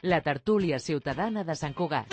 La tertúlia ciutadana de Sant Cugat.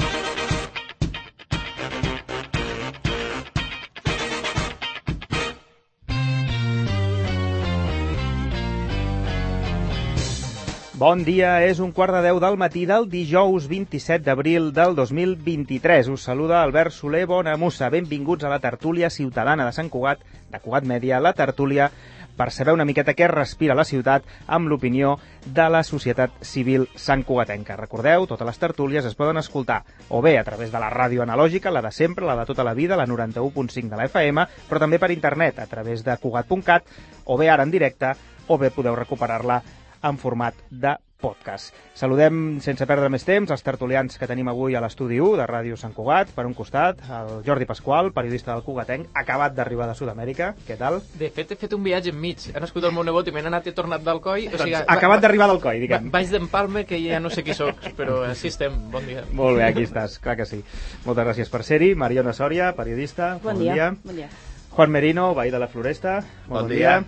Bon dia, és 1:15 del matí del dijous 27 d'abril del 2023. Us saluda Albert Soler Bonamussa. Benvinguts a la tertúlia ciutadana de Sant Cugat, de Cugat Mèdia, la tertúlia per saber una miqueta què respira la ciutat amb l'opinió de la societat civil santcugatenca. Recordeu, totes les tertúlies es poden escoltar o bé a través de la ràdio analògica, la de sempre, la de tota la vida, la 91.5 de la FM, però també per internet, a través de cugat.cat, o bé ara en directe, o bé podeu recuperar-la en format de podcast. Saludem, sense perdre més temps, els tertulians que tenim avui a l'estudi 1 de Ràdio Sant Cugat. Per un costat, el Jordi Pasqual, periodista del Cugatenc, acabat d'arribar de Sud-amèrica. Què tal? De fet, he fet un viatge enmig. He nascut el meu nebot i m'he anat i he tornat d'Alcoi. O sigui, acabat d'arribar d'Alcoi, diguem. Vaig d'Empalme, que ja no sé qui soc, però així estem. Bon dia. Molt bé, aquí estàs, clar que sí. Moltes gràcies per ser-hi. Mariona Sòria, periodista. Bon dia. Bon dia. Juan Merino, veí de la Floresta. Bon dia.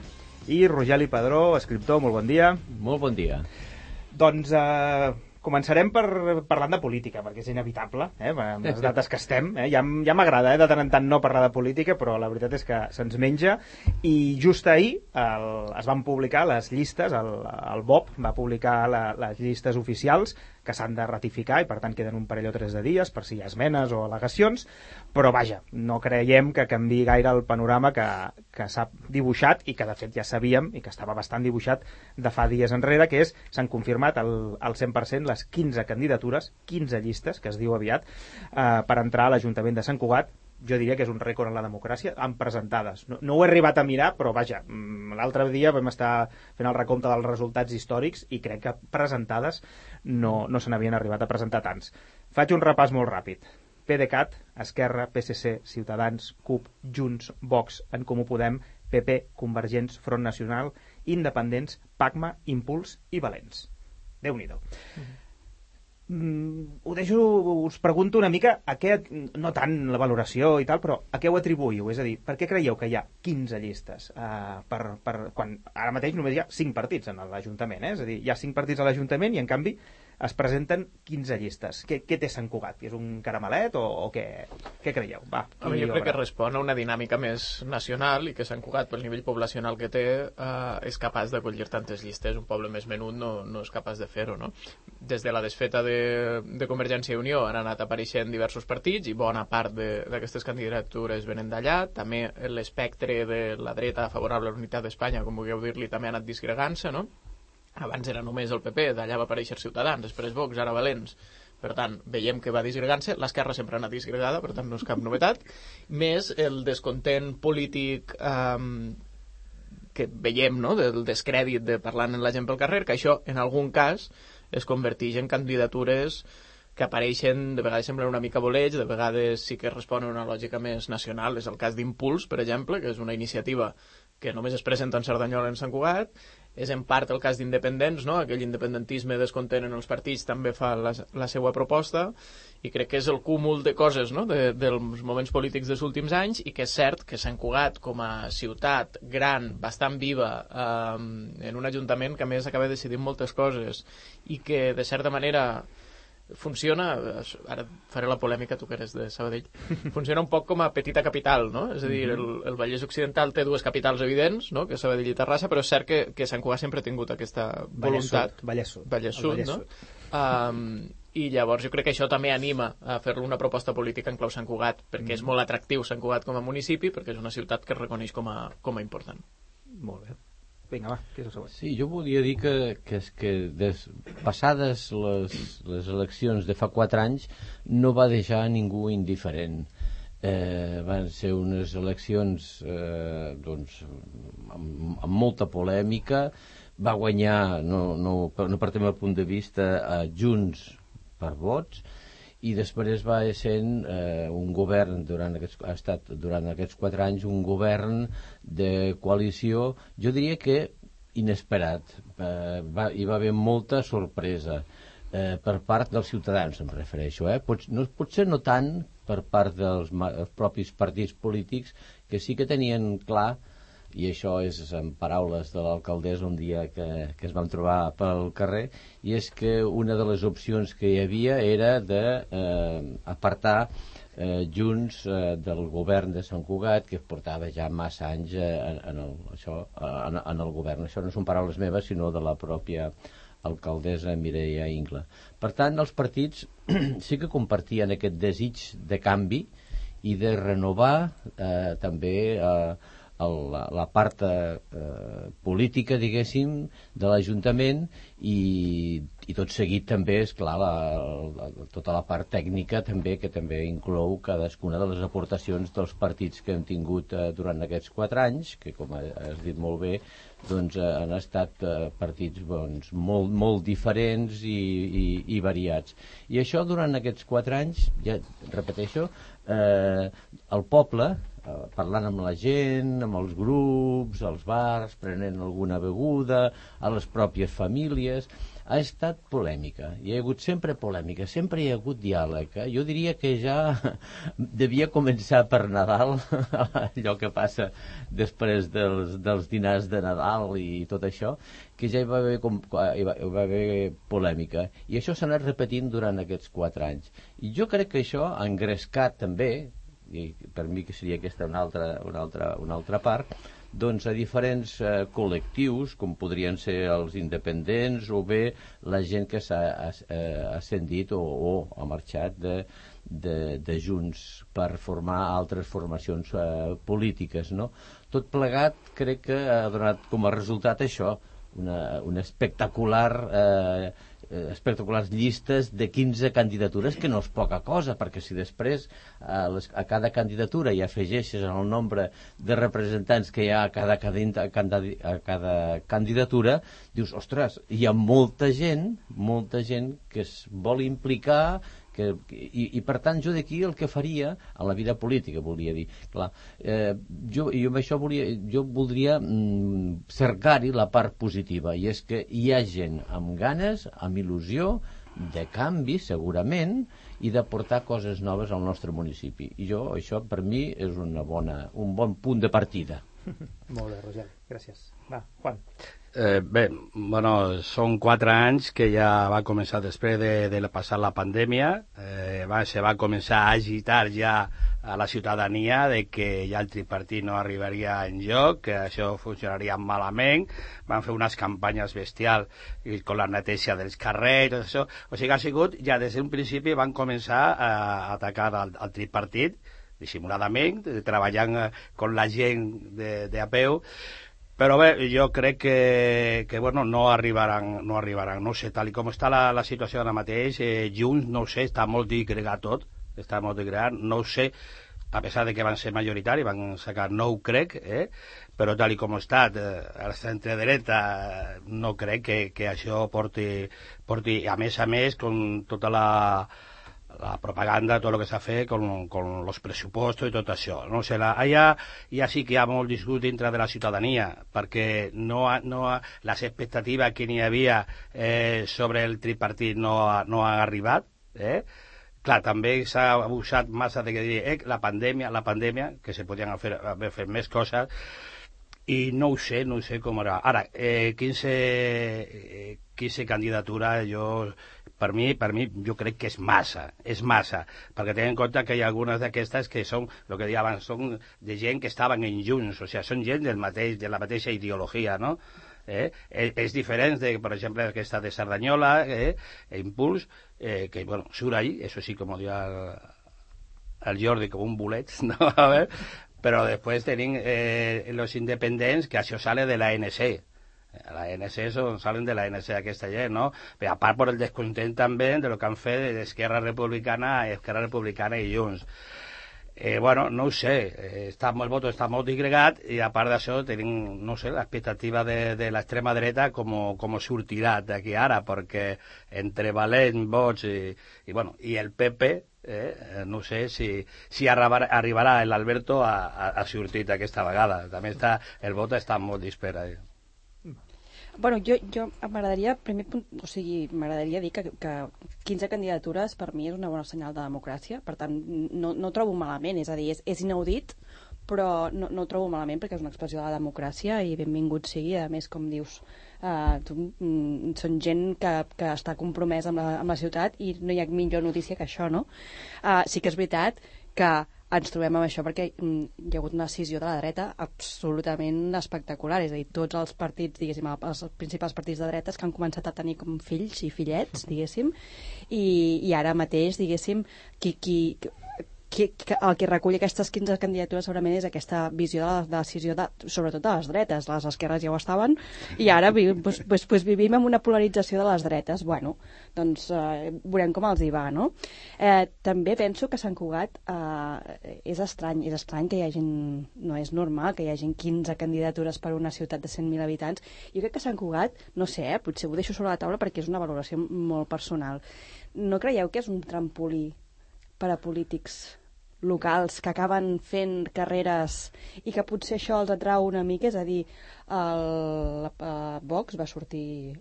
I Rogeli Padró, escriptor, molt bon dia. Molt bon dia. Doncs començarem parlant de política, perquè és inevitable, amb les dates que estem. Ja m'agrada de tant en tant no parlar de política, però la veritat és que se'ns menja. I just ahir es van publicar les llistes, el BOP va publicar les llistes oficials que s'han de ratificar i per tant queden un parell o tres de dies per si hi ha esmenes o al·legacions, però vaja, no creiem que canviï gaire el panorama que s'ha dibuixat i que de fet ja sabíem i que estava bastant dibuixat de fa dies enrere, que és, s'han confirmat al 100% les 15 candidatures, 15 llistes, que es diu aviat, per entrar a l'Ajuntament de Sant Cugat. Jo diria que és un rècord en la democràcia, amb presentades. No ho he arribat a mirar, però vaja, l'altre dia vam estar fent el recompte dels resultats històrics i crec que presentades no se n'havien arribat a presentar tants. Faig un repàs molt ràpid. PDeCAT, Esquerra, PSC, Ciutadans, CUP, Junts, Vox, En Comú Podem, PP, Convergents, Front Nacional, Independents, PACMA, Impuls i Valents. Déu-n'hi-do. Us pregunto una mica a què, no tant la valoració i tal, però a què ho atribuïu? És a dir, per què creieu que hi ha 15 llistes? Quan ara mateix només hi ha 5 partits en l'Ajuntament, És a dir, hi ha 5 partits a l'Ajuntament i en canvi es presenten 15 llistes. Què té Sant Cugat? És un caramelet o què creieu? Jo crec que respon a una dinàmica més nacional i que Sant Cugat, pel nivell poblacional que té, és capaç d'acollir tantes llistes. Un poble més menut no és capaç de fer-ho, no? Des de la desfeta de Convergència i Unió han anat apareixent diversos partits i bona part d'aquestes candidatures venen d'allà. També l'espectre de la dreta favorable a la unitat d'Espanya, com vulgueu dir-li, també ha anat disgregant-se, no? Abans era només el PP, d'allà va aparèixer Ciutadans, després Vox, ara Valents. Per tant, veiem que va disgregant-se. L'esquerra sempre ha anat disgregada, per tant no és cap novetat. Més el descontent polític que veiem, no?, del descrèdit de parlant amb la gent pel carrer, que això, en algun cas, es converteix en candidatures que apareixen, de vegades semblen una mica boleig, de vegades sí que responen a una lògica més nacional. És el cas d'Impuls, per exemple, que és una iniciativa que només es presenta en Cerdanyola i en Sant Cugat. És en part el cas d'Independents, no? Aquell independentisme descontent en els partits també fa la seva proposta, i crec que és el cúmul de coses, no?, dels moments polítics dels últims anys, i que és cert que Sant Cugat, com a ciutat gran, bastant viva, en un ajuntament que a més acaba decidint moltes coses i que de certa manera funciona, ara faré la polèmica, tu que eres de Sabadell, funciona un poc com a petita capital, no? És a dir, el Vallès Occidental té dues capitals evidents, no?, que és Sabadell i Terrassa, però és cert que Sant Cugat sempre ha tingut aquesta voluntat. Vallès Sud, no? I llavors jo crec que això també anima a fer-lo una proposta política en clau Sant Cugat, perquè és molt atractiu Sant Cugat com a municipi, perquè és una ciutat que es reconeix com a important. Molt bé. Vinga, va, què és el següent? Sí, jo volia dir que passades les eleccions de fa 4 anys no va deixar ningú indiferent. Van ser unes eleccions amb molta polèmica. Va guanyar, no partim del punt de vista, Junts per vots, i després va sent un govern, ha estat durant aquests 4 anys un govern de coalició, jo diria que inesperat. Hi va haver molta sorpresa per part dels ciutadans, em refereixo. Potser no tant per part dels propis partits polítics, que sí que tenien clar i això és en paraules de l'alcaldessa un dia que es van trobar pel carrer, i és que una de les opcions que hi havia era d'apartar Junts del govern de Sant Cugat, que portava ja massa anys en el govern. Això no són paraules meves, sinó de la pròpia alcaldessa Mireia Ingla. Per tant, els partits sí que compartien aquest desig de canvi i de renovar també la part política, diguéssim, de l'Ajuntament, i tot seguit també, esclar, tota la part tècnica també, que també inclou cadascuna de les aportacions dels partits que hem tingut durant aquests 4 anys, que, com has dit molt bé, doncs han estat partits molt diferents i variats. I això durant aquests 4 anys, ja repeteixo, el poble, parlant amb la gent, amb els grups, als bars, prenent alguna beguda, a les pròpies famílies, ha estat polèmica. Hi ha hagut sempre polèmica, sempre hi ha hagut diàleg. Jo diria que ja devia començar per Nadal, allò que passa després dels dinars de Nadal i tot això, que ja hi va haver polèmica. I això s'ha anat repetint durant aquests 4 anys. I jo crec que això ha engrescat també, i per mi que seria aquesta una altra part, doncs a diferents col·lectius, com podrien ser els independents o bé la gent que s'ha ascendit o ha marxat de Junts per formar altres formacions polítiques, no? Tot plegat crec que ha donat com a resultat això, una espectaculars llistes de 15 candidatures, que no és poca cosa, perquè si després a cada candidatura hi afegeixes el nombre de representants que hi ha a cada candidatura, dius, ostres, hi ha molta gent que es vol implicar, i per tant jo d'aquí el que faria a la vida política, volia dir, clar, jo amb això jo voldria cercar-hi la part positiva, i és que hi ha gent amb ganes, amb il·lusió de canvi segurament, i de portar coses noves al nostre municipi, i això per mi és un bon punt de partida. Molt bé, Roger, gràcies. Va, Juan. Bé, són 4 anys que ja va començar després de passar la pandèmia, se va començar a agitar ja a la ciutadania de que ja el tripartit no arribaria enlloc, que això funcionaria malament, van fer unes campanyes bestials con la neteja dels carrers, tot això. O sigui, ha sigut, ja des d'un principi van començar a atacar al tripartit, dissimuladament, treballant con la gent de a peu. Però bé, jo crec que no arribaran, no sé, tal com està la situació ara mateix, Junts, no sé, està molt digregat tot, no sé, a pesar de que van ser majoritari, van sacar 9, crec, però tal com ha estat, el centre-dreta, no crec que això porti, a més, con tota la propaganda, tot el que s'ha fet con els pressupostos i tot això. No sé, allà sí que hi ha molt disgust dintre de la ciutadania, perquè les expectatives que n'hi havia sobre el tripartit no han arribat. Clar, també s'ha abusat massa de que dir la pandèmia, que se podien haver fet més coses, i no ho sé com era. Ara, 15 candidaturas, per mi jo crec que és massa, perquè ten en compte que hi ha algunes d'aquestes que són, el que deia abans, són de gent que estaven en Junts, o sigui, són gent de la mateixa ideologia, no? És diferent de, per exemple, aquesta de Cerdanyola, Impuls, que, surt ahí, eso sí, com diu el Jordi, com un bolet, no? A ver, però després tenim los independents, que això sale de la ANC. La ANC salen de la ANC aquesta gent, no? Però a part per el descontent també de lo que han fet d'Esquerra Republicana i Junts. No ho sé, el vot està molt digregat, i a part d'això tenim, no sé, l'expectativa de l'extrema dreta com sortirà d'aquí ara, perquè entre Valent, Vox i el PP, no sé si arribarà l'Alberto a sortir aquesta vegada. També el vot està molt dispers. Jo m'agradaria dir que 15 candidatures per mi és una bona senyal de democràcia, per tant no trobo malament, és a dir, és inaudit, però no ho trobo malament perquè és una expressió de la democràcia i benvingut sigui. A més, com dius, són gent que està compromesa amb la ciutat i no hi ha millor notícia que això, no? Sí que és veritat que ens trobem amb això perquè hi ha hagut una decisió de la dreta absolutament espectacular, és a dir, tots els partits, diguéssim, els principals partits de dretes que han començat a tenir com fills i fillets, diguéssim, i ara mateix, diguéssim, el que recull aquestes 15 candidatures segurament és aquesta visió de la decisió sobretot de les dretes. Les esquerres ja ho estaven i ara vivim en una polarització de les dretes. Bueno, doncs veurem com els hi va, no? També penso que Sant Cugat és estrany que hi hagi, no és normal que hi hagi 15 candidatures per una ciutat de 100.000 habitants. Jo crec que Sant Cugat, no sé, potser ho deixo sobre la taula perquè és una valoració molt personal. No creieu que és un trampolí per a polítics locals que acaben fent carreres i que potser això els atrau una mica? És a dir, Vox va sortir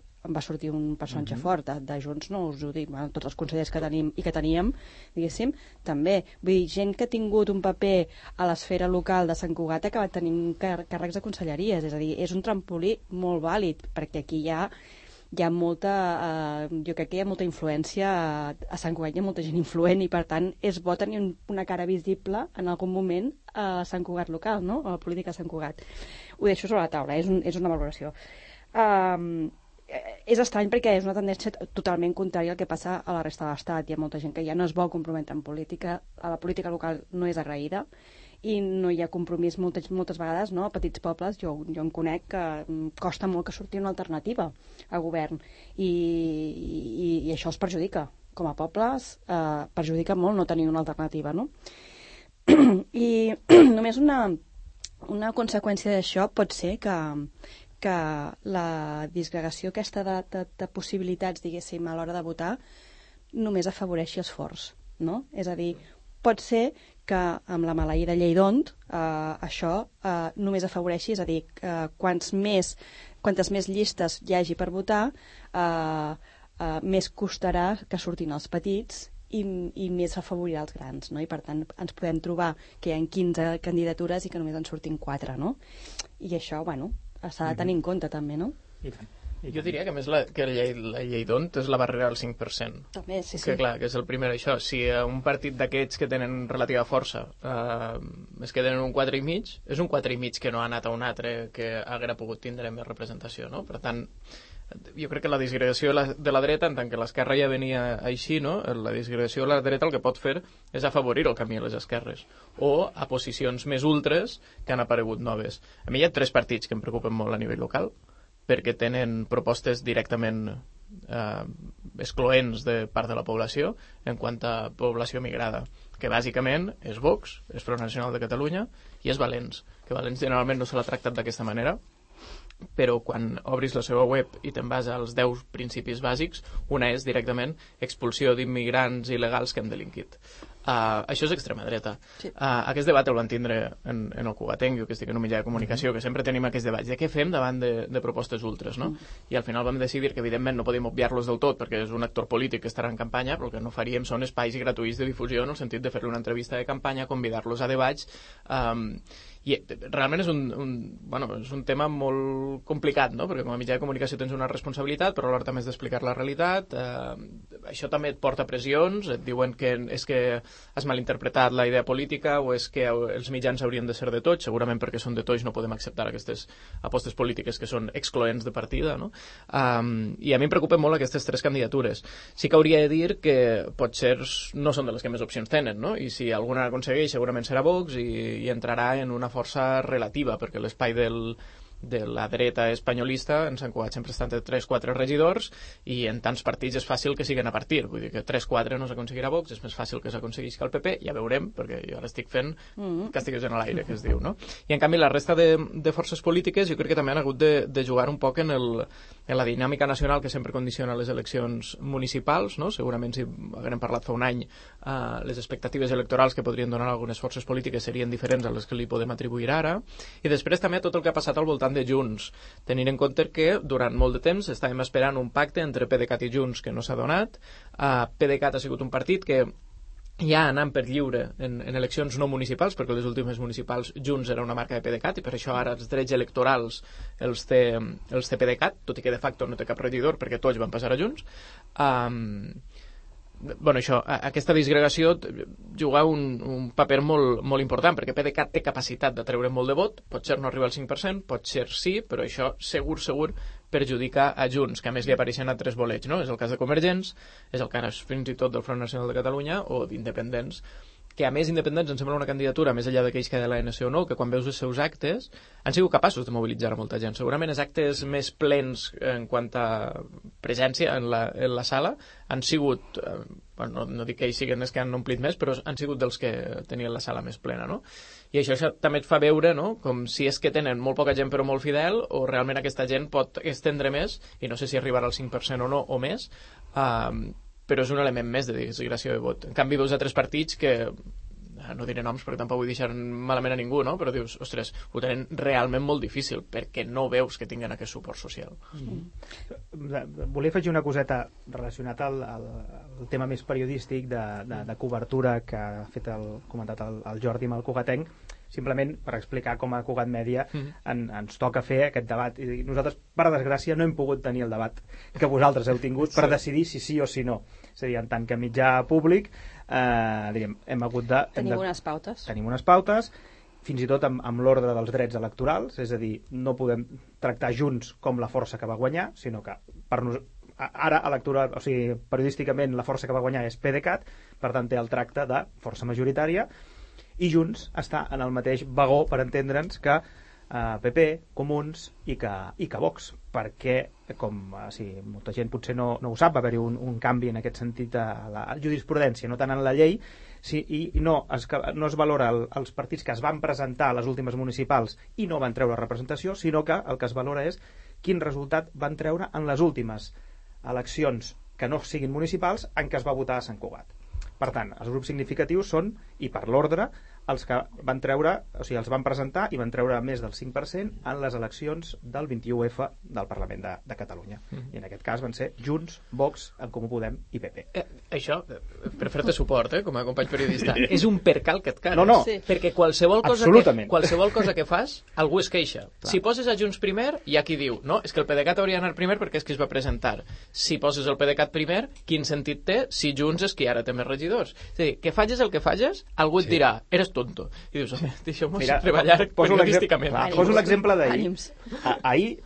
un personatge fort, de Junts no us ho dic, tots els consellers que tenim i que teníem, diguéssim, també. Vull dir, gent que ha tingut un paper a l'esfera local de Sant Cugat ha acabat tenint càrrecs de conselleries, és a dir, és un trampolí molt vàlid, perquè aquí hi ha molta, jo crec que hi ha molta influència a Sant Cugat, hi ha molta gent influent i per tant és bo tenir una cara visible en algun moment a Sant Cugat local, no? A la política de Sant Cugat. Ho deixo sobre la taula, és una valoració. És estrany perquè és una tendència totalment contrària al que passa a la resta de l'Estat. Hi ha molta gent que ja no es vol comprometre en política, a la política local no és agraïda i no hi ha compromís moltes vegades, no? A petits pobles, jo en conec que costa molt que surti una alternativa a govern i això els perjudica. Com a pobles perjudica molt no tenir una alternativa, no? I només una conseqüència d'això pot ser que la disgregació aquesta de possibilitats, diguéssim, a l'hora de votar només afavoreixi els forts, no? És a dir, pot ser que amb la maleïda llei d'Hont això només afavoreixi, és a dir, quantes més llistes hi hagi per votar, més costarà que surtin els petits i més afavorirà els grans, no? I per tant ens podem trobar que hi ha 15 candidatures i que només en surtin 4, no? I això, bueno, s'ha de tenir en compte també, no? I tant. Jo diria que més la llei d'Hont és la barrera del 5%. També, sí. Que clar, que és el primer això. Si un partit d'aquests que tenen relativa força es queden en un 4,5, és un 4,5 que no ha anat a un altre que haguera pogut tindre més representació, no? Per tant, jo crec que la disgregació de la dreta, en tant que l'esquerra ja venia així, no? La disgregació de la dreta el que pot fer és afavorir el camí a les esquerres o a posicions més ultres que han aparegut noves. A mi hi ha 3 partits que em preocupen molt a nivell local, perquè tenen propostes directament excloents de part de la població en quant a població migrada, que bàsicament és Vox, és Front Nacional de Catalunya i és Valens, que Valens generalment no se l'ha tractat d'aquesta manera, però quan obris la seva web i te'n vas als 10 principis bàsics, una és directament expulsió d'immigrants il·legals que han delinquit. Això és extrema dreta. Sí. Aquest debat el van tindre en el Cugatenc, jo que estic en un mitjà de comunicació, que sempre tenim aquests debats de què fem davant de propostes ultres, no? I al final vam decidir que evidentment no podíem obviar-los del tot perquè és un actor polític que estarà en campanya, però el que no faríem són espais gratuïts de difusió en el sentit de fer-li una entrevista de campanya, convidar-los a debats, i realment és un tema molt complicat, no? Perquè com a mitjà de comunicació tens una responsabilitat, però alhora també has d'explicar la realitat. Això també et porta pressions, et diuen que és que has malinterpretat la idea política o és que els mitjans haurien de ser de tots, segurament perquè són de tots no podem acceptar aquestes apostes polítiques que són excloents de partida, no? I a mi em preocupen molt aquestes 3 candidatures. Sí que hauria de dir que potser no són de les que més opcions tenen, no? I si alguna aconsegueix segurament serà Vox i entrarà en una força relativa, perquè l'espai de la dreta espanyolista en Sant Cugat sempre estan de 3-4 regidors i en tants partits és fàcil que siguen a partir, vull dir que 3-4 no s'aconseguirà Vox, és més fàcil que s'aconseguís que el PP, ja veurem, perquè jo ara estic fent càstigues en l'aire, que es diu, no? I en canvi la resta de forces polítiques jo crec que també han hagut de jugar un poc en la dinàmica nacional que sempre condiciona les eleccions municipals, no? Segurament si haguem parlat fa un any les expectatives electorals que podrien donar algunes forces polítiques serien diferents a les que li podem atribuir ara, i després també tot el que ha passat al voltant de Junts, tenint en compte que durant molt de temps estàvem esperant un pacte entre PDeCAT i Junts que no s'ha donat. PDeCAT ha sigut un partit que ja anant per lliure en eleccions no municipals, perquè les últimes municipals Junts era una marca de PDeCAT i per això ara els drets electorals els té PDeCAT, tot i que de facto no té cap regidor perquè tots van passar a Junts. Bueno, això, aquesta disgregació juga un paper molt important, perquè PDeCAT té capacitat de treure molt de vot, potser no arriba al 5%, potser sí, però això segur perjudica a Junts, que a més li apareixen altres bolets, no? És el cas de Convergents, és el cas fins i tot del Front Nacional de Catalunya o d'Independents, que a més Independents em sembla una candidatura més enllà d'aquells que de l'ANC o no, que quan veus els seus actes han sigut capaços de mobilitzar a molta gent. Segurament els actes més plens en quant a presència en la sala han sigut, bueno, no dic que ells siguin els que han omplit més, però han sigut dels que tenien la sala més plena, no? I això també et fa veure, no?, com si és que tenen molt poca gent però molt fidel, o realment aquesta gent pot estendre més, i no sé si arribarà al 5% o no, o més, però és un element més de disgregació de vot. En canvi, veus altres partits que, no diré noms perquè tampoc vull deixar malament a ningú, no?, però dius, ostres, ho tenen realment molt difícil perquè no veus que tinguin aquest suport social. Volia afegir una coseta relacionat al tema més periodístic de cobertura que ha fet comentat el Jordi amb el Cugatenc, simplement per explicar com a Cugat Mèdia ens toca fer aquest debat. I nosaltres, per desgràcia, no hem pogut tenir el debat que vosaltres heu tingut per decidir si sí o si no. És a dir, en tant que mitjà públic, hem hagut de... Tenim unes pautes. Tenim unes pautes, fins i tot amb l'ordre dels drets electorals, és a dir, no podem tractar Junts com la força que va guanyar, sinó que ara electoral, o sigui, periodísticament la força que va guanyar és PDeCAT, per tant té el tracte de força majoritària, i Junts està en el mateix vagó, per entendre'ns, que PP, Comuns i que Vox, perquè, com molta gent potser no ho sap, va haver-hi un canvi en aquest sentit a la jurisprudència, no tant en la llei, i no es valora els partits que es van presentar a les últimes municipals i no van treure representació, sinó que el que es valora és quin resultat van treure en les últimes eleccions que no siguin municipals en què es va votar a Sant Cugat. Per tant, els grups significatius són, i per l'ordre, els que van treure, o sigui, els van presentar i van treure més del 5% en les eleccions del 21F del Parlament de Catalunya. I en aquest cas van ser Junts, Vox, En Comú Podem i PP. Això, per fer-te suport, com a company periodista, és un percal que et cares. No. Sí. Perquè qualsevol cosa que fas, algú es queixa. Clar. Si poses a Junts primer, hi ha qui diu, no, és que el PDeCAT hauria d'anar primer perquè és qui es va presentar. Si poses el PDeCAT primer, quin sentit té si Junts és qui ara té més regidors? És a dir, que facis el que facis, algú et dirà, eres tonto. I dius, home, deixeu-nos treballar periodísticament. Poso l'exemple d'ahir. Ahir,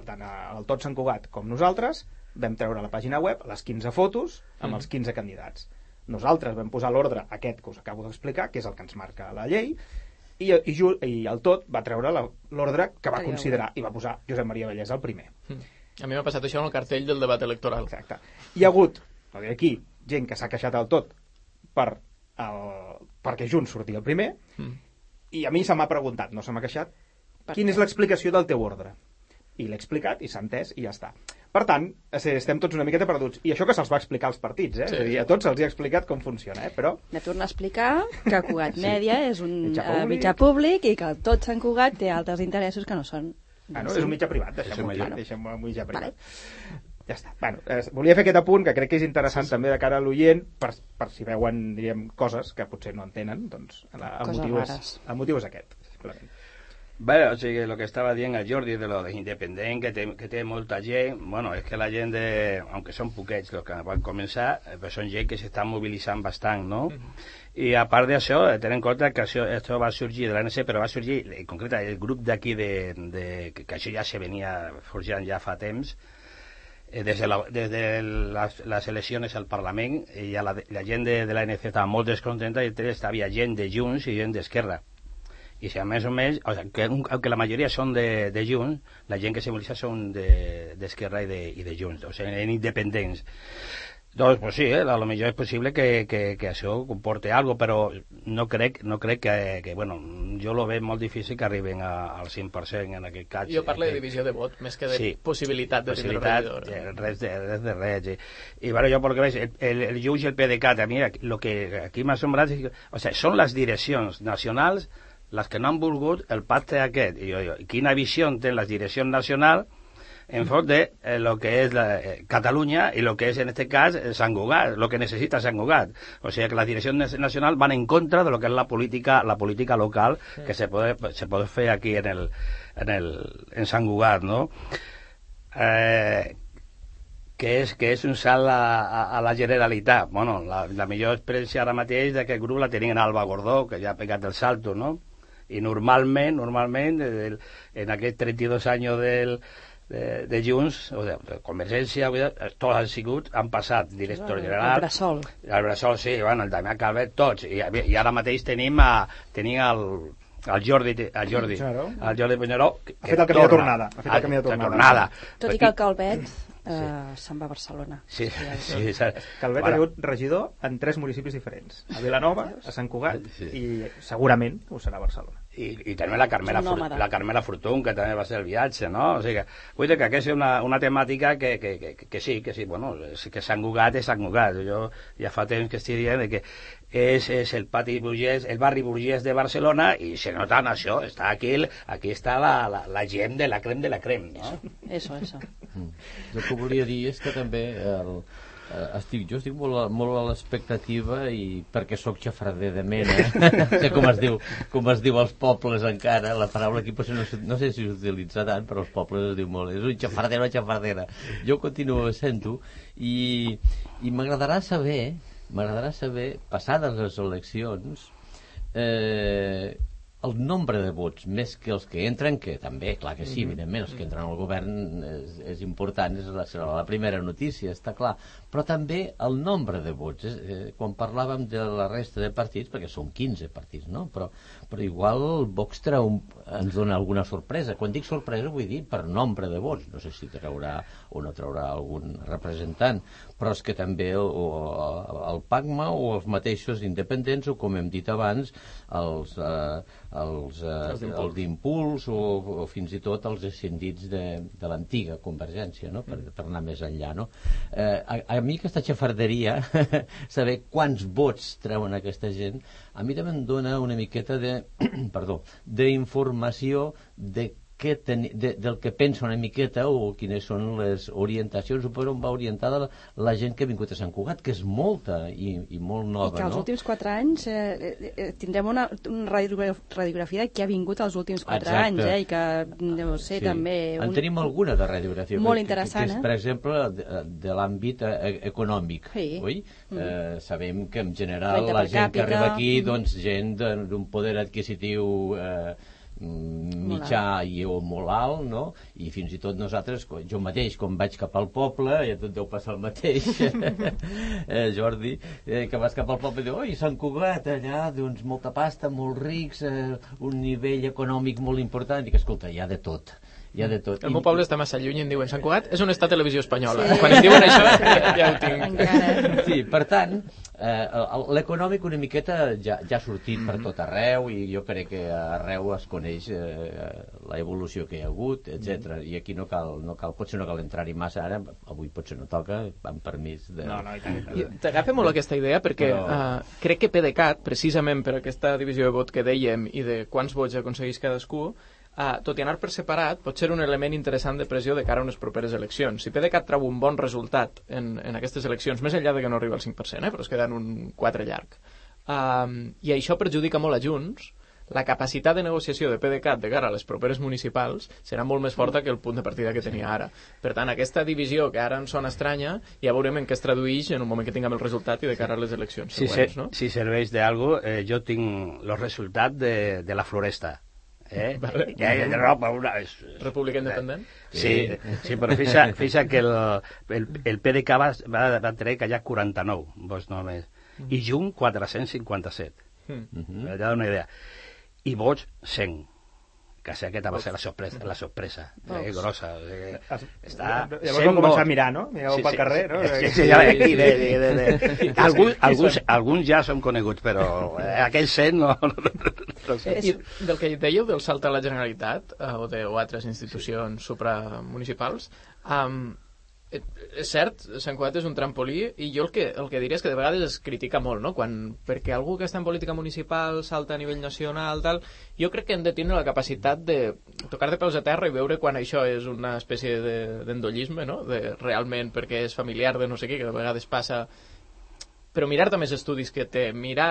tant el Tot Sant Cugat com nosaltres, vam treure a la pàgina web les 15 fotos amb els 15 candidats. Nosaltres vam posar l'ordre aquest que us acabo d'explicar, que és el que ens marca la llei, i el Tot va treure l'ordre que va considerar i va posar Josep Maria Vallès el primer. A mi m'ha passat això en el cartell del debat electoral. Exacte. Hi ha hagut, aquí, gent que s'ha queixat al Tot perquè Junts sortia el primer, i a mi se m'ha preguntat, no se m'ha queixat, quina és l'explicació del teu ordre? I l'he explicat, i s'ha entès, i ja està. Per tant, estem tots una miqueta perduts. I això que se'ls va explicar als partits, Sí. És a dir, a tots se'ls ha explicat com funciona, però... De tornar a explicar que Cugat Mèdia és un mitjà públic i que tot Sant Cugat té altres interessos que no són... és un mitjà privat, deixem-ho un mitjà privat. Ja està. Volia fer aquest apunt, que crec que és interessant també de cara a l'oient, per si veuen, diríem, coses que potser no entenen, doncs el motiu és aquest, simplement. Bé, o sigui, el que estava dient el Jordi de lo de independent, que té molta gent, bueno, és que la gent, aunque són poquets els que van començar, però són gent que s'està mobilitzant bastant, no? I a part d'això, ten en compte que això va sorgir de l'ANC, però va sorgir, en concret, el grup d'aquí, que això ja se venia forjant ja fa temps, des de les eleccions al Parlament, i la gent de l'ANC estava molt descontenta, i havia gent de Junts i gent d'Esquerra. I si a més o menys, aunque la majoria són de Junts, la gent que se mobilitza són d'Esquerra i de Junts, o sigui, en independents. Doncs, pues sí, a lo millor és possible que això comporte algo, però no crec que bueno, jo lo veig molt difícil que arriben al 100% en aquest cas. Jo parlo de divisió de vot, més que de possibilitat de tindre regidor. Res de res. I bueno, jo perquè veig, el Junts i el PDeCAT, a mi, lo que aquí m'ha asombrat, o sea, són les direccions nacionals les que no han volgut el pacte aquest. I quina visió tenen les direccions nacionals en favor de lo que es Cataluña y lo que es en este caso Sant Cugat, lo que necesita Sant Cugat. O sea que la dirección nacional van en contra de lo que es la política local que se puede hacer aquí en Sant Cugat, ¿no? Que és un salt a la Generalitat. Bueno, la millor experiència ara mateix d'aquest grup la tenien Alba Gordó, que ja ha pegat el salto, no? I normalment, en aquests 32 anys de Junts, o de Convergència, tots han passat director general. El Bressol, sí, bueno, el Damià Calvet, tots. I ara mateix tenim el Jordi Puigneró, que ha fet el camí de tornada. Tot i que el Calvet se'n va a Barcelona. Sí. Calvet ha sigut regidor en 3 municipis diferents. A Vilanova, a Sant Cugat i segurament ho serà a Barcelona. I també la Carmela Fortun, que també va ser el viatge, no? O sigui que, vull dir que aquesta és una temàtica que sí, bueno, que Sant Cugat és Sant Cugat. Jo ja fa temps que estic dient que és el pati burgès, el barri burgès de Barcelona, i se nota en això, està aquí està la gent de la crem de la crem, no? Eso. El que volia dir és que també jo estic molt a l'expectativa, i perquè sóc xafarder de mena, com es diu als pobles encara, la paraula aquí potser no sé si s'utilitza tant, però als pobles es diu molt, és un xafarder o xafardera. Jo continuo sent-ho, i m'agradarà saber, passades les eleccions, el nombre de vots, més que els que entren, que també, clar que sí, evidentment, els que entren al govern és important, serà la primera notícia, està clar, però també el nombre de vots. Quan parlàvem de la resta de partits, perquè són 15 partits, no? Però igual el Vox ens dona alguna sorpresa. Quan dic sorpresa vull dir per nombre de vots. No sé si traurà o no traurà algun representant, però és que també el PACMA o els mateixos independents, o com hem dit abans, els d'Impuls o fins i tot els escindits de l'antiga Convergència, no? Per anar més enllà, no? A mi aquesta xafarderia, saber quants vots treuen aquesta gent, a mi també em dona una miqueta d'informació del que pensa una miqueta, o quines són les orientacions, o per on va orientada la gent que ha vingut a Sant Cugat, que és molta i molt nova, no? I que els últims 4 anys tindrem una radiografia de qui ha vingut els últims 4 anys, i que deu ser també... En tenim alguna de radiografia. Molt interessant, que és, per exemple, de l'àmbit econòmic, oi? Sabem que en general la gent que arriba aquí, doncs gent d'un poder adquisitiu mitjà o molt alt, no? I fins i tot nosaltres, jo mateix, quan vaig cap al poble, i a tot deu passar el mateix, Jordi, que vas cap al poble i diu, oi, Sant Cugat, allà, doncs, molta pasta, molts rics, un nivell econòmic molt important, i que, escolta, hi ha de tot. El meu poble està massa lluny i em diuen Sant Cugat és on està Televisió Espanyola. Quan em diuen això ja ho tinc. Sí, per tant, l'econòmic una miqueta ja ha sortit per tot arreu, i jo crec que arreu es coneix la evolució que hi ha hagut, etc. I aquí no cal, potser no cal entrar-hi massa ara, avui potser no toca, amb permís de... T'agafa molt aquesta idea perquè crec que PDeCAT, precisament per aquesta divisió de vot que dèiem i de quants vots aconsegueix cadascú, tot i anar per separat, pot ser un element interessant de pressió de cara a unes properes eleccions. Si PDeCAT treu un bon resultat en aquestes eleccions, més enllà de que no arriba al 5%, però es queda en un 4 llarg, i això perjudica molt a Junts, la capacitat de negociació de PDeCAT de cara a les properes municipals serà molt més forta que el punt de partida que tenia ara. Per tant, aquesta divisió que ara ens sona estranya, ja veurem en què es tradueix en un moment que tinguem el resultat i de cara a les eleccions següents, no? Si serveix d'algo, jo tinc el resultat de la Floresta. Vale. República Independent? Sí, però fixa que el PDeCAT va treure que hi ha 49 vots només, i Junts 457. Ja dona una idea. I vots 100. Quasi aquesta va ser la sorpresa grossa. Llavors vam començar a mirar, no? Miràveu pel carrer, no? Alguns ja són coneguts, però aquells 100 no. I del que dèieu del salt a la Generalitat o altres institucions supramunicipals, És cert, Sant Cugat és un trampolí i jo el que diria és que de vegades es critica molt, no? Perquè algú que està en política municipal salta a nivell nacional, tal, jo crec que hem de tindre la capacitat de tocar de peus a terra i veure quan això és una espècie d'endollisme, no? Realment perquè és familiar de no sé què, que de vegades passa, però mirar també els estudis que té,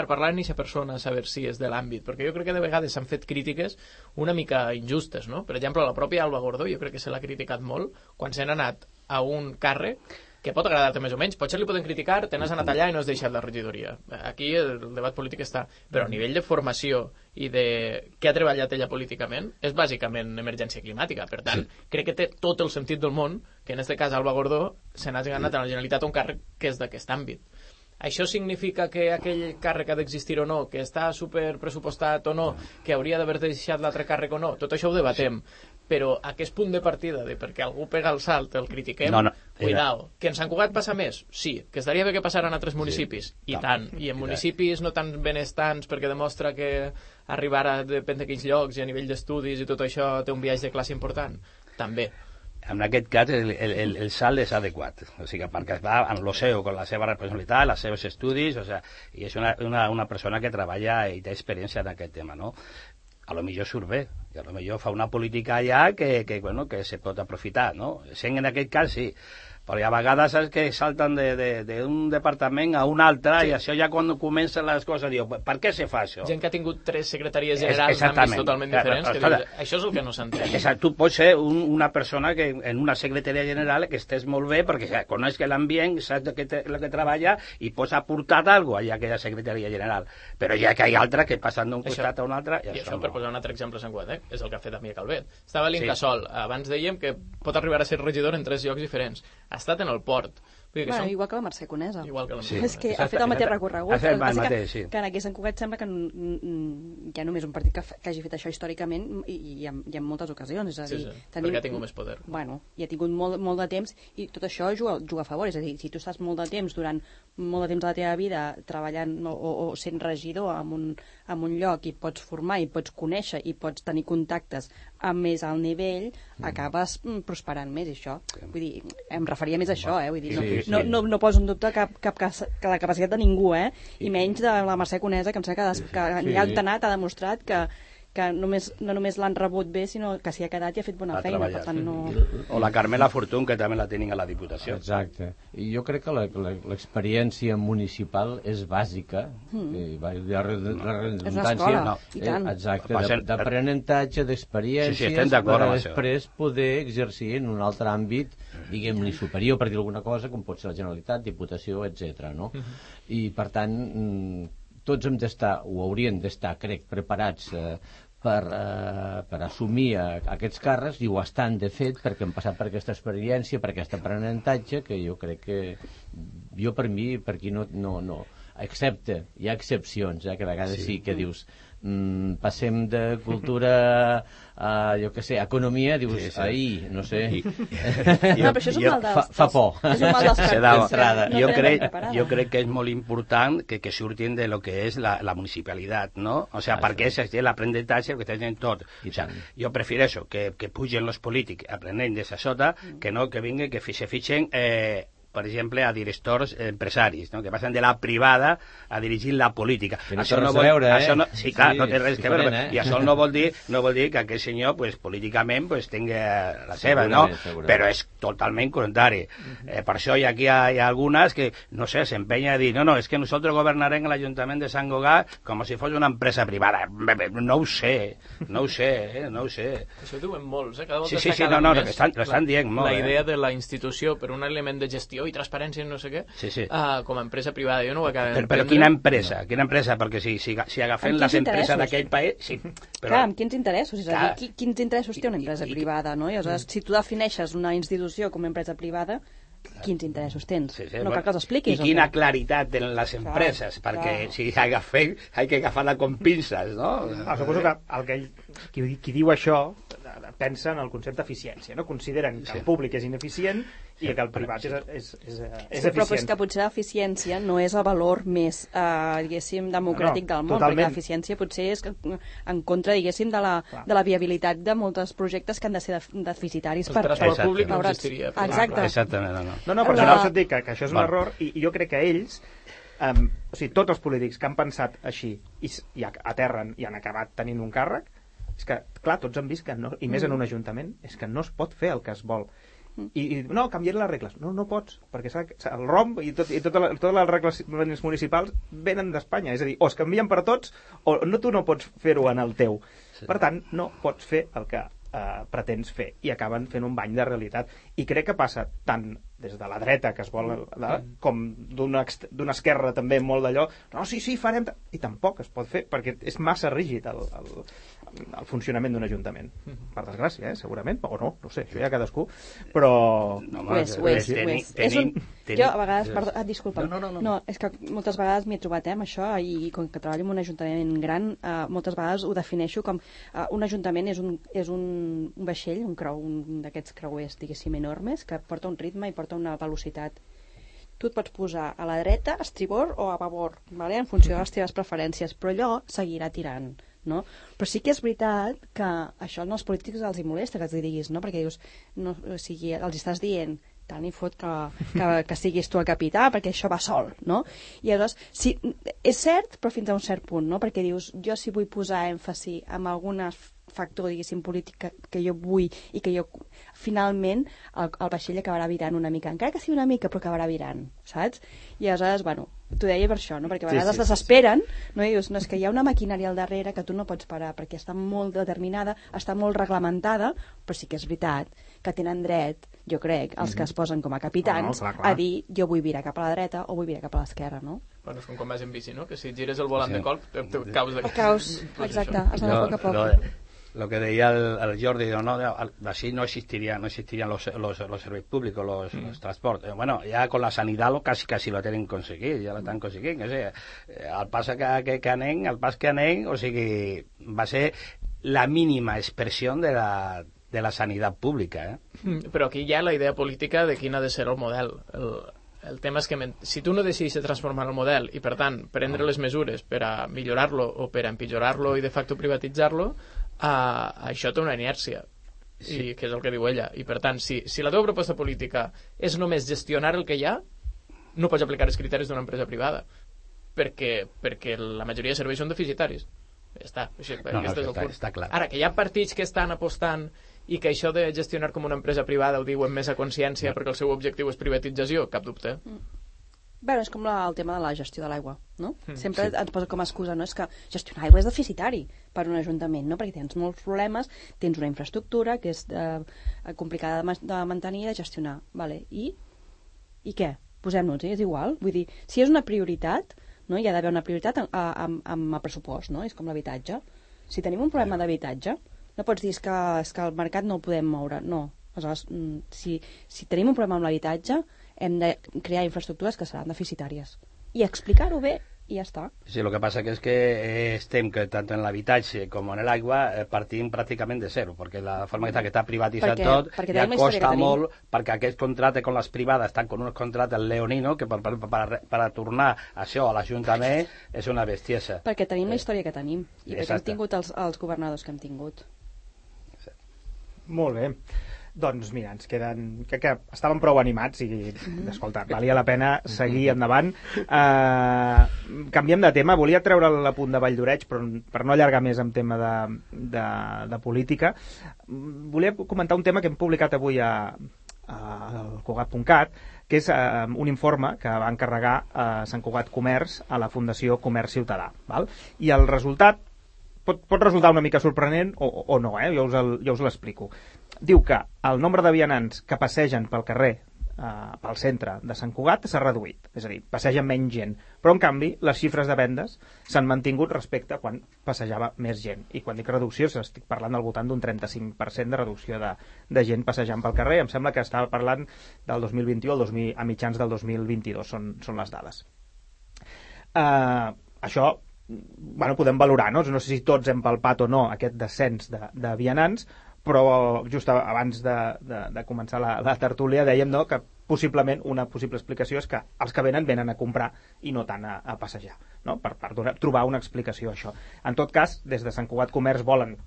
parlar amb aquesta persona, saber si és de l'àmbit, perquè jo crec que de vegades s'han fet crítiques una mica injustes, no? Per exemple, la pròpia Alba Gordó jo crec que se l'ha criticat molt quan s'han anat a un càrrec que pot agradar-te més o menys, potser li poden criticar, te n'has anat allà i no has deixat la regidoria. Aquí el debat polític està, però a nivell de formació i de què ha treballat ella políticament, és bàsicament emergència climàtica. Per tant, crec que té tot el sentit del món que en aquest cas Alba Gordó se n'hagi anat a la Generalitat a un càrrec que és d'aquest àmbit. Això significa que aquell càrrec ha d'existir o no, que està superpressupostat o no, que hauria d'haver deixat l'altre càrrec o no, tot això ho debatem. Però aquest punt de partida de perquè algú pega el salt, el critiquem, cuidao. Que en Sant Cugat passa més? Sí. Que estaria bé que passara en altres municipis? I tant. I en municipis no tan benestants perquè demostra que arribar a depèn de quins llocs i a nivell d'estudis i tot això té un viatge de classe important? També. En aquest cas el salt és adequat, o sigui, perquè va en lo seu, amb la seva responsabilitat, els seus estudis, o sigui, i és una persona que treballa i té experiència en aquest tema, no? A lo millor surt bé, i a lo millor fa una política allà que se pot aprofitar, no? Sent en aquest cas sí, però hi ha vegades que salten d'un departament a un altre i això ja quan comencen les coses diu, per què se fa això? Gent que ha tingut 3 secretaries generals d'àmbits totalment diferents, que dius, això és el que no s'entén. Tu pots ser una persona que en una secretaria general que estés molt bé perquè coneix l'ambient, saps el que treballa i pots aportar alguna cosa a aquella secretaria general, però ja que hi ha altres que passen d'un costat a un altre i això per posar un altre exemple a Sant Cugat, és el que ha fet Damià Calvet. Estava a l'Incasòl, abans dèiem que pot arribar a ser regidor en 3 llocs diferents. Ha estat en el port. Bueno, igual que la Mercè Conesa. Igual que la Mercè. És que ha fet el mateix recorregut. Que en aquí a Sant Cugat sembla que hi ha només un partit que hagi fet això històricament i en moltes ocasions. És a dir, perquè ha tingut més poder. Bueno, i ha tingut molt de temps i tot això juga a favor. És a dir, si tu estàs molt de temps durant molt de temps de la teva vida treballant o sent regidor en un lloc i pots formar i pots conèixer i pots tenir contactes a més alt nivell, acabes prosperant més, i això. Vull dir, em referia més a això, vull dir, no poso en dubte cap la capacitat de ningú, i menys de la Mercè Conesa, que em sembla que ni ha anat, ha demostrat que no només l'han rebut bé, sinó que s'hi ha quedat i ha fet bona feina. Per tant, no... O la Carmela Fortun, que també la tenim a la Diputació. Exacte. I jo crec que l'experiència municipal és bàsica. La redundància. I tant. Exacte, d'aprenentatge, d'experiències, per després poder exercir en un altre àmbit, diguem-li superior, per dir alguna cosa, com pot ser la Generalitat, Diputació, etc. I, per tant, tots hem d'estar, o haurien d'estar, crec, preparats per assumir aquests càrrecs, i ho estan de fet perquè han passat per aquesta experiència, per aquest aprenentatge, que jo crec que per mi, per aquí no excepte, hi ha excepcions, que a vegades sí que dius passem de cultura a, jo què sé, economia, dius, ahir, no sé. No, però això és un mal dels... Fa por. És un mal dels d'entrada. Jo crec que és molt important que surtin de lo que és la municipalitat, no? O sea, perquè és l'aprenentatge que tenen tot. O sea, jo prefereixo que pugen els polítics aprenent des de sota, que no que vinguin, que se fitxen per exemple, a directors empresaris, no? Que passen de la privada a dirigir la política. Que no té res a veure, Sí, clar, no té res a veure. I això no vol dir que aquest senyor, pues, políticament, pues, tingui la seva, no? Però és totalment contrari. Per això aquí hi ha algunes que, no sé, s'empenya a dir, no, és que nosaltres governarem l'Ajuntament de Sant Cugat com si fos una empresa privada. No ho sé. Això ho diuen molts, cada volta l'estan dient molt. La idea de la institució per un element de gestió i transparència i no sé què, com a empresa privada. Jo no ho acabo d'entendre. Però quina empresa? Perquè si agafem les empreses d'aquell país... Sí, però... Clar, amb quins interessos? És a dir, quins interessos té una empresa privada, no? I, aleshores, si tu defineixes una institució com a empresa privada, quins interessos tens? No cal que els expliquis. I quina claritat tenen les empreses, perquè si agafem, hay que agafar-la com pinces, no? Suposo que qui diu això pensa en el concepte d'eficiència, no? Consideren que el públic és ineficient i que el privat és eficient. Però és que potser l'eficiència no és el valor més, diguéssim, democràtic del món, totalment. perquè l'eficiència potser és en contra, diguéssim, de la viabilitat de molts projectes que han de ser deficitaris. El transport públic no existiria. Exacte. Exactament, No, per això et dic que això és un error i jo crec que ells, o sigui, tots els polítics que han pensat així i aterren i han acabat tenint un càrrec, és que, clar, tots han vist que no, i més en un ajuntament, és que no es pot fer el que es vol. I no, canvien les regles. No pots, perquè el ROM i totes les regles municipals venen d'Espanya, és a dir, o es canvien per tots o tu no pots fer-ho en el teu. Per tant, no pots fer el que pretens fer i acaben fent un bany de realitat. I crec que passa tant des de la dreta, que es vol, com d'una esquerra també molt d'allò, no, sí, farem... I tampoc es pot fer, perquè és massa rígid el funcionament d'un ajuntament. Per desgràcia, segurament, o no sé, això ja cadascú, però... Ho és. Jo, a vegades... Disculpa. No, és que moltes vegades m'hi he trobat amb això, i com que treballo en un ajuntament gran, moltes vegades ho defineixo com un ajuntament és un vaixell, un d'aquests creuers, diguéssim, enormes, que porta un ritme i porta una velocitat. Tu et pots posar a la dreta, a estribord o a babord, vale? En funció de les teves preferències, però allò seguirà tirant, no? Però sí que és veritat que això als polítics els hi molesta que els diguis, no? Perquè dius, no, o sigui, els estàs dient tant i fot que siguis tu el capità, perquè això va sol, no? I llavors, sí, és cert, però fins a un cert punt, no? Perquè dius, jo si vull posar èmfasi en alguna factor, diguéssim, polític que jo vull i que jo, finalment, el vaixell acabarà virant una mica, encara que sigui una mica, però acabarà virant, saps? I aleshores, bueno, t'ho deia per això, no? Perquè a vegades es desesperen, no? I dius, no, és que hi ha una maquinària al darrere que tu no pots parar, perquè està molt determinada, està molt reglamentada, però sí que és veritat que tenen dret, jo crec, els que es posen com a capitans, clar. A dir, jo vull virar cap a la dreta o vull virar cap a l'esquerra, no? Bueno, és com quan vas en bici, no? Que si gires el volant de colp, caus de... Caus, exacte, has d'anar a poc a poc. Lo que decía el Jordi, así no existirían los servicios públicos, los transportes. Bueno, ya con la sanidad casi lo tienen conseguido, ya lo están consiguiendo. O sea, al paso que anem, o sigui, va ser la mínima expresión de la sanidad pública. Però aquí hi ha la idea política de quin ha de ser el model. El tema és que si tu no decidis transformar el model i, per tant, prendre les mesures per a millorar-lo o per a empitjorar-lo i de facto privatitzar-lo, això té una inèrcia, que és el que diu ella. I, per tant, si la teva proposta política és només gestionar el que hi ha, no pots aplicar els criteris d'una empresa privada, perquè la majoria de serveis són deficitaris. Ja està. Està clar. Ara, que hi ha partits que estan apostant i que això de gestionar com una empresa privada ho diuen més a consciència perquè el seu objectiu és privatització, cap dubte. Bé, és com el tema de la gestió de l'aigua, no? Sempre ens posa com a excusa, no? És que gestionar aigua és deficitari per un ajuntament, no? Perquè tens molts problemes, tens una infraestructura que és complicada de mantenir i de gestionar, vale? I què? Posem-nos, és igual? Vull dir, si és una prioritat, no? Hi ha d'haver una prioritat amb el pressupost, no? És com l'habitatge. Si tenim un problema d'habitatge, no pots dir que el mercat no el podem moure, no. Aleshores, si tenim un problema amb l'habitatge, hem de crear infraestructures que seran deficitàries. I explicar-ho bé, i ja està. Sí, lo que pasa que es que estem que tanto en l'habitatge com en l'aigua partim pràcticament de zero, perquè la forma que està privatitzat tot ja costa molt, perquè aquest contracte amb les privades estan con un contracte leonino que per tornar això a l'Ajuntament és una bestiesa. Perquè tenim la història que tenim i perquè hem tingut els governadors que hem tingut. Molt bé. Doncs mira, ens queden... Crec que estàvem prou animats i, escolta, valia la pena seguir endavant. Canviem de tema. Volia treure l'apunt de Valldoreix, però per no allargar més en tema de política, volia comentar un tema que hem publicat avui al Cugat.cat, que és un informe que va encarregar a Sant Cugat Comerç a la Fundació Comerç Ciutadà. Val? I el resultat pot resultar una mica sorprenent o no, jo us l'explico. Diu que el nombre de vianants que passegen pel carrer, pel centre de Sant Cugat, s'ha reduït. És a dir, passeja menys gent. Però, en canvi, les xifres de vendes s'han mantingut respecte a quan passejava més gent. I quan dic reducció, estic parlant al voltant d'un 35% de reducció de gent passejant pel carrer. Em sembla que estava parlant del 2021 a mitjans del 2022, són les dades. Això, bueno, podem valorar, no sé si tots hem palpat o no aquest descens de vianants, però just abans de començar la tertúlia dèiem, no, que possiblement una possible explicació és que els que venen a comprar i no tant a passejar, no? per trobar una explicació a això. En tot cas, des de Sant Cugat Comerç volen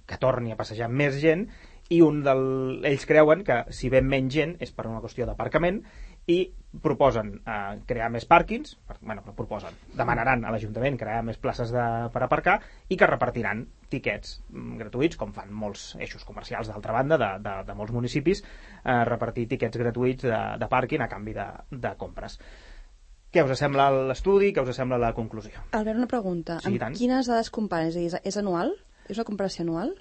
que torni a passejar més gent, i ells creuen que si ven menys gent és per una qüestió d'aparcament, i proposen crear més pàrquings, demanaran a l'Ajuntament crear més places per aparcar, i que repartiran tiquets gratuïts, com fan molts eixos comercials d'altra banda de molts municipis, repartir tiquets gratuïts de pàrquing a canvi de compres. Què us sembla l'estudi? Què us sembla la conclusió? Albert, una pregunta. Sí, amb quines dades comparen? És a dir, és anual? És una comparació anual?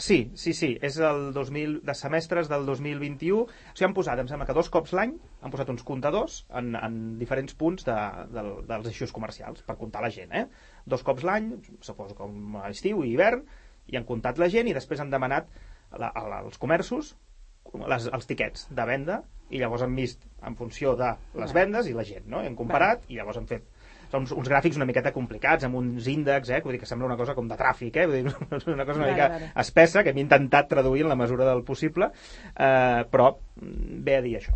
Sí, és de semestres del 2021. O sigui, han posat, em sembla que 2 cops l'any, han posat uns comptadors en diferents punts dels eixos comercials, per comptar la gent, 2 cops l'any, suposo com a estiu i hivern, i han comptat la gent, i després han demanat als comerços els tiquets de venda, i llavors han vist en funció de les vendes i la gent, no? Han comparat, i llavors han fet uns gràfics una miqueta complicats, amb uns índexs, vull dir que sembla una cosa com de tràfic, vull dir, una cosa una mica espessa, que hem intentat traduir en la mesura del possible, però ve a dir això.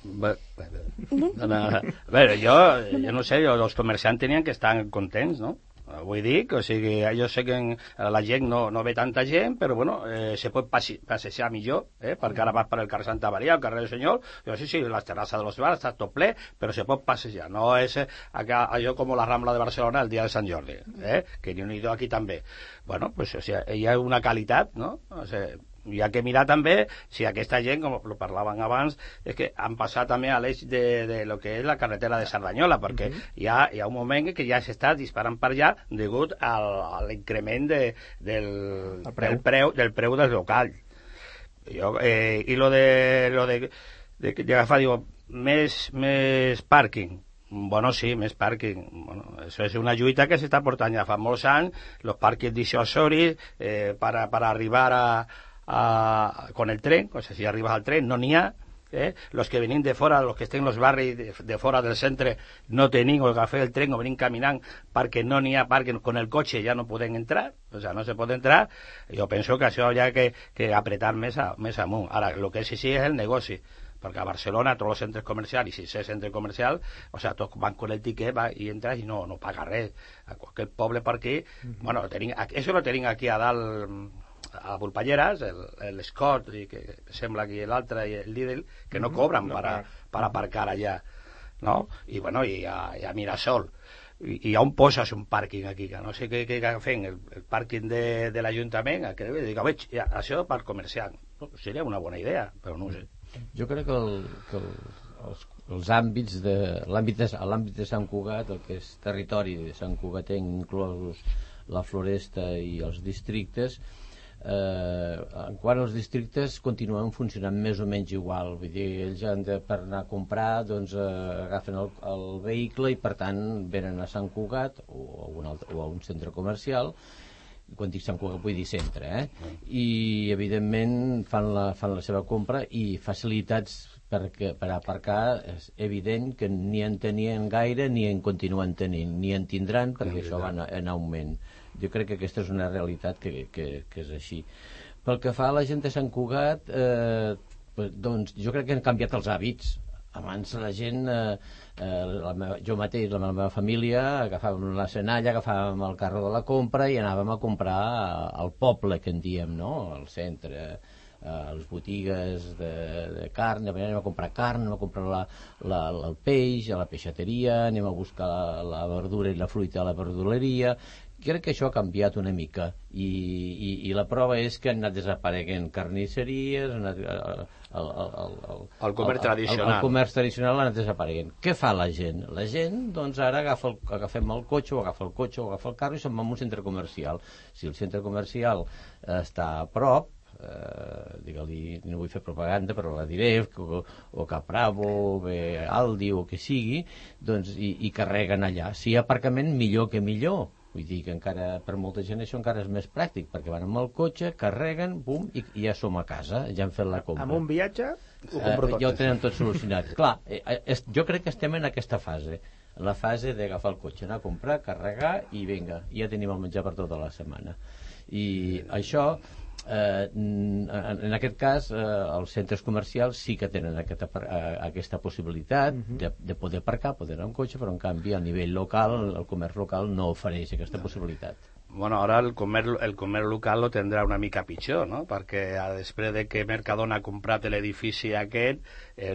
Bé, jo no sé, els comerciants tenien que estar contents, no? Vull dir que, o sigui, jo sé que la gent no ve tanta gent, però bueno, se pot passejar millor, perquè ara vas per el carrer Santa Maria, el carrer del Senyor, sí, les terrasses de los bars està tot ple, però se pot passejar, no és allò com la Rambla de Barcelona el dia de Sant Jordi, que n'hi ha aquí també. Bueno, pues, o sigui, hi ha una qualitat, no? O sigui, hi ha que mirar també si aquesta gent, com ho parlaven abans, és que han passat també a l'eix de lo que és la carretera de Cerdanyola, perquè hi ha un moment que ja s'està disparant per allà degut a l'increment del preu del local. I lo de agafar, digo, més pàrquing. Bueno, sí, més pàrquing. Bueno, això és una lluita que s'està portant ja fa molts anys, els pàrquings dissuasoris per arribar con el tren, o sea, si arribas al tren no n'hi ha, los que venim de fora, los que estén en los barris de fora del centre no tenim o agafar el tren o venim caminant perquè no n'hi ha perquè con el cotxe ja no poden entrar, o sea, no se pot entrar. Jo penso que això ja que apretar més amunt. Ara, el que sí és el negoci, perquè a Barcelona tots els centres comercials, i si és centre comercial, o sea, tots van con el tiquet i entras i no paga res. A qualsevol poble per aquí, bueno, això lo tenim aquí a dalt a Volpelleres, l'Escot, que sembla aquí l'altre, i el Lidl, que no cobran per aparcar allà, no? I bueno, i a Mirasol. I on poses un pàrquing aquí? Que no sé què fem, el pàrquing de l'Ajuntament, que dic, veig, això per comerciant. Seria una bona idea, però no ho sé. Jo crec que els àmbits l'àmbit de Sant Cugat, el que és territori de Sant Cugatenc, inclosos la Floresta i els districtes, en quant als districtes continuen funcionant més o menys igual, vull dir, ells per anar a comprar doncs agafen el vehicle i per tant venen a Sant Cugat o a un centre comercial. Quan dic Sant Cugat vull dir centre, i evidentment fan la seva compra, i facilitats per aparcar és evident que ni en tenien gaire ni en continuen tenint, ni en tindran, perquè això va en augment. Jo crec que aquesta és una realitat que és així. Pel que fa a la gent de Sant Cugat, doncs jo crec que han canviat els hàbits. Abans la gent, jo mateix, la meva família, agafàvem la senalla, agafàvem el carro de la compra i anàvem a comprar al poble, que en diem, no? Al centre, a les botigues de carn, anem a comprar carn, anem a comprar el peix a la peixateria, anem a buscar la verdura i la fruita a la verduleria. Crec que això ha canviat una mica, i la prova és que han anat desapareguent carnisseries, el comerç tradicional. El comerç tradicional ha anat desapareguent. Què fa la gent? La gent, doncs ara agafem el cotxe, o agafa el carro i se'n va a un centre comercial. Si el centre comercial està a prop, digue-li, no vull fer propaganda, però la diré, o Capravo, o Aldi, o que sigui, doncs, i carreguen allà. Si hi ha aparcament, millor que millor. Vull dir que encara, per molta gent, això encara és més pràctic, perquè van amb el cotxe, carreguen, bum, i ja som a casa, ja han fet la compra. Amb un viatge ho compro tot. Ja ho tenen tot solucionat. Clar, jo crec que estem en aquesta fase, en la fase d'agafar el cotxe, anar a comprar, carregar, i vinga, ja tenim el menjar per tota la setmana. I això en aquest cas els centres comercials sí que tenen aquesta possibilitat de poder aparcar, poder anar amb cotxe, però en canvi a nivell local el comerç local no ofereix aquesta possibilitat. Bueno, ahora el comer local lo tendrá una mica pitjor, ¿no? Perquè després de que Mercadona ha comprat l'edifici aquest,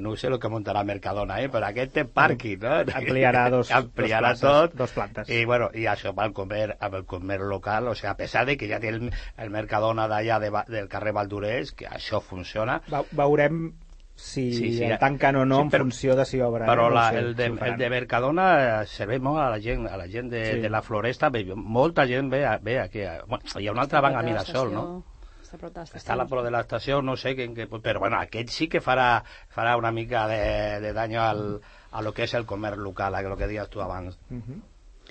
no sé el que muntarà Mercadona, però aquest té pàrquing, no? Ampliarà dos plantes. I, bueno, i això amb el comer local, o sea, a pesar de que ja té el Mercadona d'allà del carrer Valdurés, que això funciona. Veurem si el tanquen o no en funció de si obren. Però el de Mercadona serveix molt a la gent de la Floresta. Molta gent ve aquí. Bueno, hi ha una altra banc a Mirasol, no? Està a la prop de l'estació, no sé, però bueno, aquest sí que farà una mica de daño a lo que és el comerç local, a lo que deies tu abans.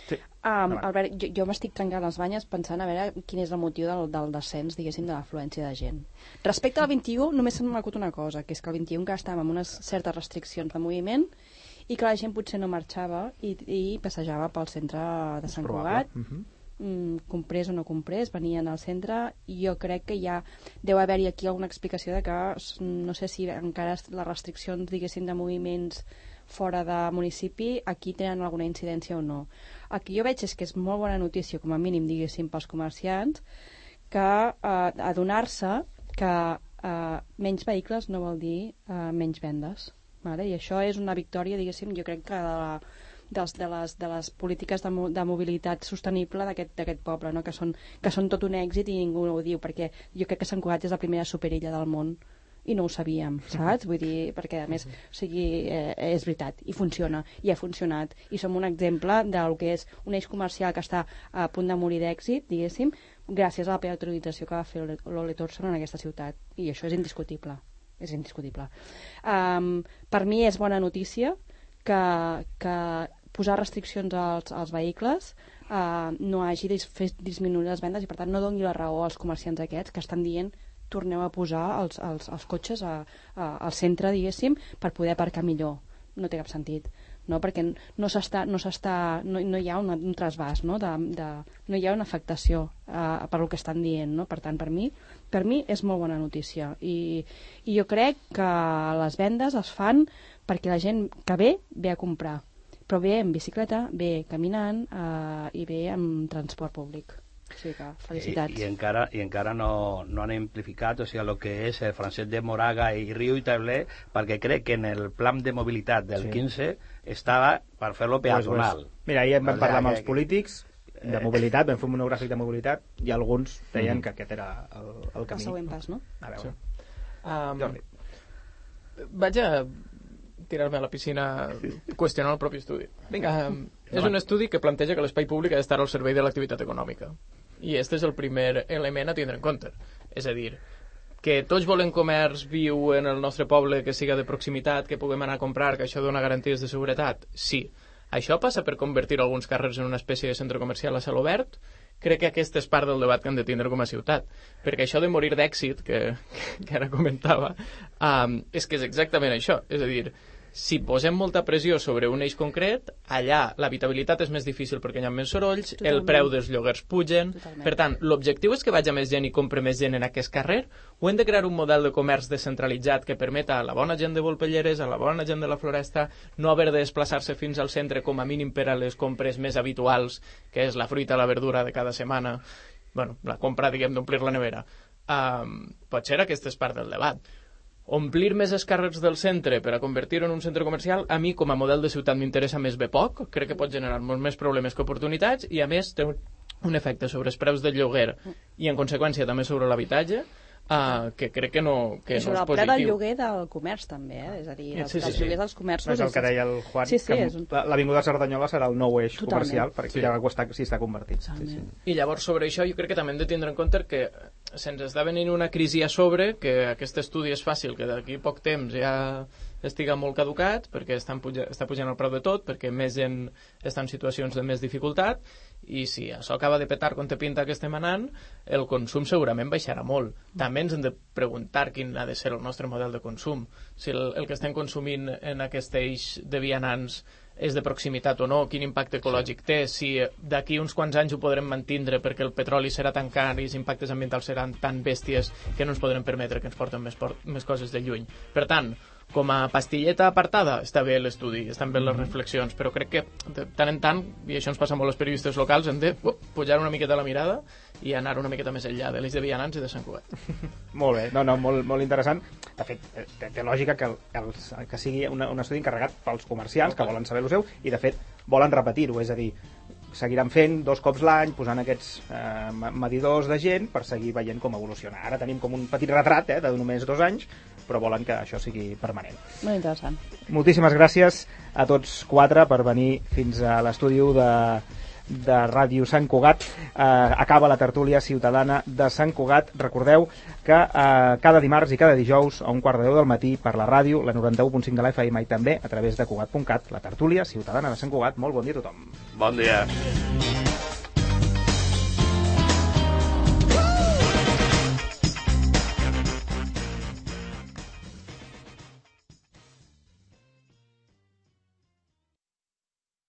Sí. Albert, jo m'estic trencant les banyes pensant a veure quin és el motiu del descens, diguéssim, de l'afluència de gent. Respecte al 21, només se m'ha acut una cosa, que és que el 21 que estàvem amb unes certes restriccions de moviment i que la gent potser no marxava i passejava pel centre de Sant Cugat, comprés o no comprés, venien al centre, i jo crec que ja deu haver-hi aquí alguna explicació de que no sé si encara les restriccions, diguéssim, de moviments fora de municipi aquí tenen alguna incidència o no. El que jo veig és que és molt bona notícia, com a mínim, diguéssim, pels comerciants, que adonar-se que menys vehicles no vol dir menys vendes, vale? I això és una victòria, diguéssim, jo crec que de les polítiques de mobilitat sostenible d'aquest poble, no? que són tot un èxit i ningú ho diu, perquè jo crec que Sant Cugat és la primera superilla del món i no ho sabíem, saps? Vull dir, perquè a més, o sigui, és veritat, i funciona, i ha funcionat, i som un exemple del que és un eix comercial que està a punt de morir d'èxit, diguéssim, gràcies a la peatonalització que va fer l'Ole Thompson en aquesta ciutat, i això és indiscutible, és indiscutible. Per mi és bona notícia que posar restriccions als vehicles no hagi fet disminuir les vendes i per tant no doni la raó als comerciants aquests que estan dient torneu a posar els cotxes al centre, diguéssim, per poder aparcar millor. No té cap sentit, no? Perquè no hi ha un trasbàs, no? No hi ha una afectació per el que estan dient, no? Per tant, per mi és molt bona notícia i jo crec que les vendes es fan perquè la gent que ve a comprar, però ve en bicicleta, ve caminant i ve amb transport públic. O sigui que, felicitats. I encara no han amplificat, o sigui, el que és el Francesc de Moraga i Riu i Taulé, perquè crec que en el plan de mobilitat del 15 estava per fer-lo peatonal. Mira, ahir vam parlar amb els polítics de mobilitat, vam fer un monogràfic de mobilitat i alguns deien que aquest era el camí. El següent pas, no? A veure. Jordi. Vaig a tirar-me a la piscina qüestionant el propi estudi. És un estudi que planteja que l'espai públic ha d'estar al servei de l'activitat econòmica. I aquest és el primer element a tindre en compte. És a dir, que tots volem comerç viu en el nostre poble, que siga de proximitat, que puguem anar a comprar, que això dona garanties de seguretat? Sí. Això passa per convertir alguns carrers en una espècie de centre comercial a cel obert? Crec que aquest és part del debat que hem de tindre com a ciutat. Perquè això de morir d'èxit, que ara comentava, és que és exactament això. És a dir, si posem molta pressió sobre un eix concret, allà l'habitabilitat és més difícil perquè hi ha més sorolls, el preu dels lloguers pugen. Per tant, l'objectiu és que vagi més gent i compre més gent en aquest carrer, o hem de crear un model de comerç descentralitzat que permeta a la bona gent de Volpelleres, a la bona gent de la Floresta, no haver de desplaçar-se fins al centre com a mínim per a les compres més habituals, que és la fruita, la verdura de cada setmana, bueno, la compra, diguem, d'omplir la nevera. Potser aquesta és part del debat. Omplir més els carrers del centre per a convertir-ho en un centre comercial, a mi com a model de ciutat m'interessa més bé poc, crec que pot generar molts més problemes que oportunitats i a més té un efecte sobre els preus del lloguer i en conseqüència també sobre l'habitatge que crec que no és positiu. Sobre el preu del lloguer del comerç també, és a dir, dels lloguers dels comerços. És el que deia el Juan, que l'Avinguda Cerdanyola serà el nou eix comercial, perquè ja si està convertit. I llavors sobre això jo crec que també hem de tindre en compte que se'ns està venint una crisi a sobre, que aquest estudi és fàcil, que d'aquí poc temps ja estiga molt caducat, perquè està pujant el preu de tot, perquè més gent està en situacions de més dificultat, i si això acaba de petar com te pinta que estem anant, el consum segurament baixarà molt. També ens hem de preguntar quin ha de ser el nostre model de consum. Si el que estem consumint en aquest eix de vianants és de proximitat o no, quin impacte ecològic té, si d'aquí uns quants anys ho podrem mantindre perquè el petroli serà tan car i els impactes ambientals seran tan bèsties que no ens podrem permetre que ens porten més coses de lluny. Per tant, com a pastilleta apartada, està bé l'estudi, estan bé les reflexions, però crec que de tant en tant, i això ens passa molt als periodistes locals, hem de pujar una miqueta la mirada i anar una miqueta més enllà de l'eix de vianants i de Sant Cugat. Molt bé, molt interessant. De fet, té lògica que sigui un estudi encarregat pels comerciants que volen saber el seu i, de fet, volen repetir-ho, és a dir, seguiran fent 2 cops l'any, posant aquests medidors de gent per seguir veient com evoluciona. Ara tenim com un petit retrat de només 2 anys, però volen que això sigui permanent. Molt interessant. Moltíssimes gràcies a tots 4 per venir fins a l'estudi de Ràdio Sant Cugat. Acaba la tertúlia ciutadana de Sant Cugat. Recordeu que cada dimarts i cada dijous a 1:15 del matí per la ràdio, la 91.5 de la FM i també a través de Cugat.cat, la tertúlia ciutadana de Sant Cugat. Molt bon dia a tothom. Bon dia.